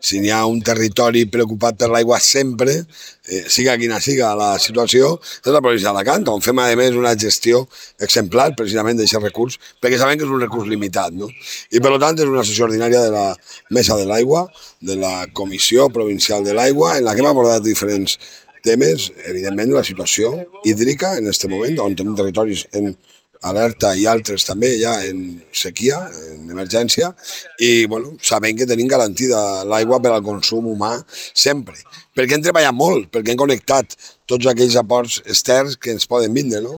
si n'hi ha un territori preocupat per l'aigua sempre, siga quina siga la situació, és la província d'Alacant, on fem a més una gestió exemplar precisament d'aquest recurs, perquè sabem que és un recurs limitat, no? I per tant és una sessió ordinària de la Mesa de l'Aigua, de la Comissió Provincial de l'Aigua, en la que hem abordat diferents temes, evidentment la situació hídrica en aquest moment, on tenim territoris en alerta i altres també ja en sequia, en emergència, i bueno, sabem que tenim garantida l'aigua per al consum humà sempre, perquè hem treballat molt, perquè hem connectat tots aquells aports externs que ens poden vindre, no?